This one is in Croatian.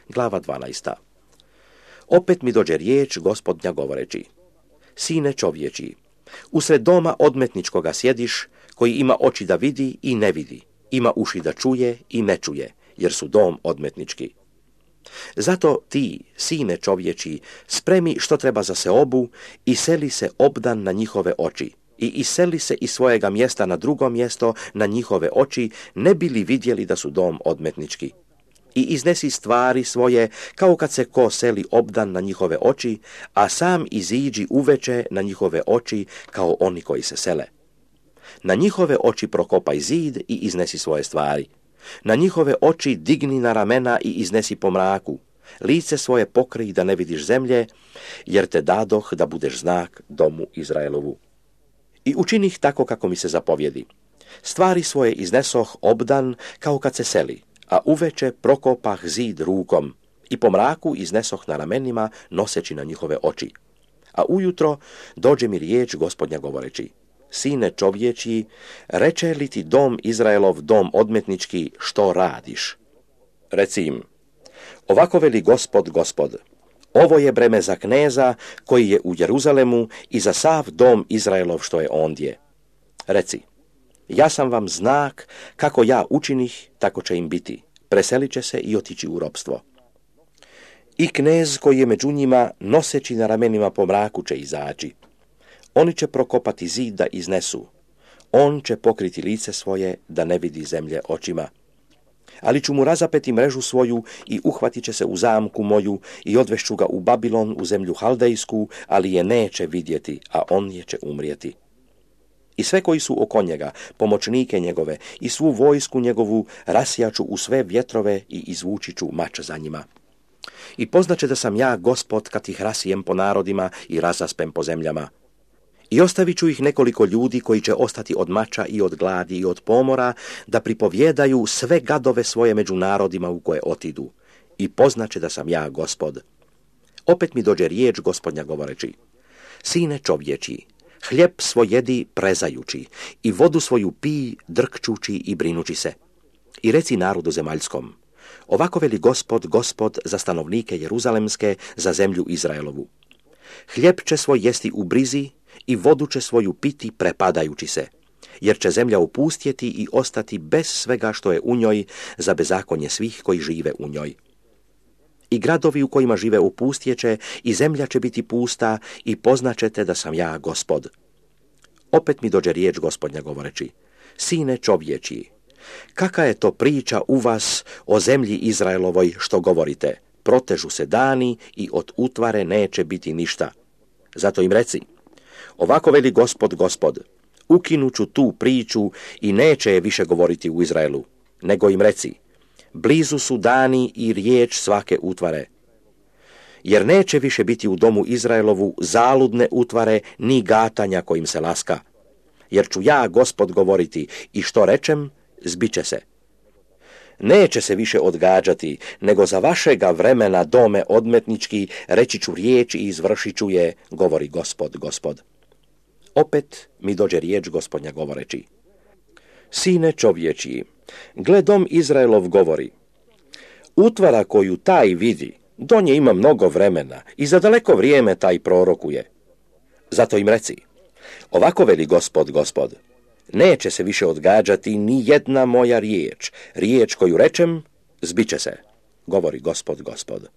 glava 12. Opet mi dođe riječ Gospodnja govoreći: Sine čovječi, usred doma odmetničkoga sjediš, koji ima oči da vidi i ne vidi, ima uši da čuje i ne čuje, jer su dom odmetnički. Zato ti, sine čovječi, spremi što treba za seobu i seli se obdan na njihove oči i iseli se iz svojega mjesta na drugo mjesto na njihove oči, ne bi li vidjeli da su dom odmetnički. I iznesi stvari svoje kao kad se ko seli obdan na njihove oči, a sam iziđi uveče na njihove oči kao oni koji se sele. Na njihove oči prokopaj zid i iznesi svoje stvari. Na njihove oči digni na ramena i iznesi po mraku. Lice svoje pokrij da ne vidiš zemlje, jer te dadoh da budeš znak domu Izraelovu. I učinih tako kako mi se zapovjedi. Stvari svoje iznesoh obdan kao kad se seli, a uveče prokopah zid rukom i po mraku iznesoh na ramenima noseći na njihove oči. A ujutro dođe mi riječ Gospodnja govoreći: Sine čovječi, reče li ti dom Izraelov, dom odmetnički, što radiš? Reci im: Ovako veli Gospod, Gospod, ovo je breme za kneza koji je u Jeruzalemu i za sav dom Izraelov što je ondje. Reci: Ja sam vam znak, kako ja učinih, tako će im biti. Preselit će se i otići u ropstvo. I knez koji je među njima, noseći na ramenima po mraku, će izaći. Oni će prokopati zid da iznesu. On će pokriti lice svoje da ne vidi zemlje očima. Ali ću mu razapeti mrežu svoju i uhvatit će se u zamku moju i odvešću ga u Babilon, u zemlju Haldejsku, ali je neće vidjeti, a on je će umrijeti. I sve koji su oko njega, pomoćnike njegove i svu vojsku njegovu, rasjaču u sve vjetrove i izvući ću mač za njima. I poznaće da sam ja Gospod kad ih rasijem po narodima i razaspem po zemljama. I ostavit ću ih nekoliko ljudi koji će ostati od mača i od gladi i od pomora, da pripovjedaju sve gadove svoje među narodima u koje otidu. I poznaće da sam ja Gospod. Opet mi dođe riječ Gospodnja govoreći: Sine čovječi, hljeb svoj jedi prezajući i vodu svoju pij drkčući i brinući se. I reci narodu zemaljskom: Ovako veli Gospod, Gospod, za stanovnike Jeruzalemske, za zemlju Izraelovu. Hljeb će svoj jesti u brizi i vodu će svoju piti prepadajući se, jer će zemlja opustjeti i ostati bez svega što je u njoj, za bezakonje svih koji žive u njoj. I gradovi u kojima žive opustjeće i zemlja će biti pusta i poznaćete da sam ja Gospod. Opet mi dođe riječ Gospodnja govoreći: Sine čovječi, kaka je to priča u vas o zemlji Izraelovoj što govorite? Protežu se dani i od utvare neće biti ništa. Zato im reci: Ovako veli Gospod, Gospod, ukinuću tu priču i neće je više govoriti u Izraelu, nego im reci: Blizu su dani i riječ svake utvare. Jer neće više biti u domu Izraelovu zaludne utvare ni gatanja kojim se laska. Jer ću ja, Gospod, govoriti i što rečem, zbiće se. Neće se više odgađati, nego za vašega vremena dome odmetnički reći ću riječ i izvršit ću je, govori Gospod, Gospod. Opet mi dođe riječ Gospodnja govoreći: Sine čovječi, gle dom Izraelov govori: Utvara koju taj vidi, do nje ima mnogo vremena i za daleko vrijeme taj prorokuje. Zato im reci: Ovako veli Gospod, Gospod, neće se više odgađati ni jedna moja riječ, riječ koju rečem, zbiće se, govori Gospod, Gospod.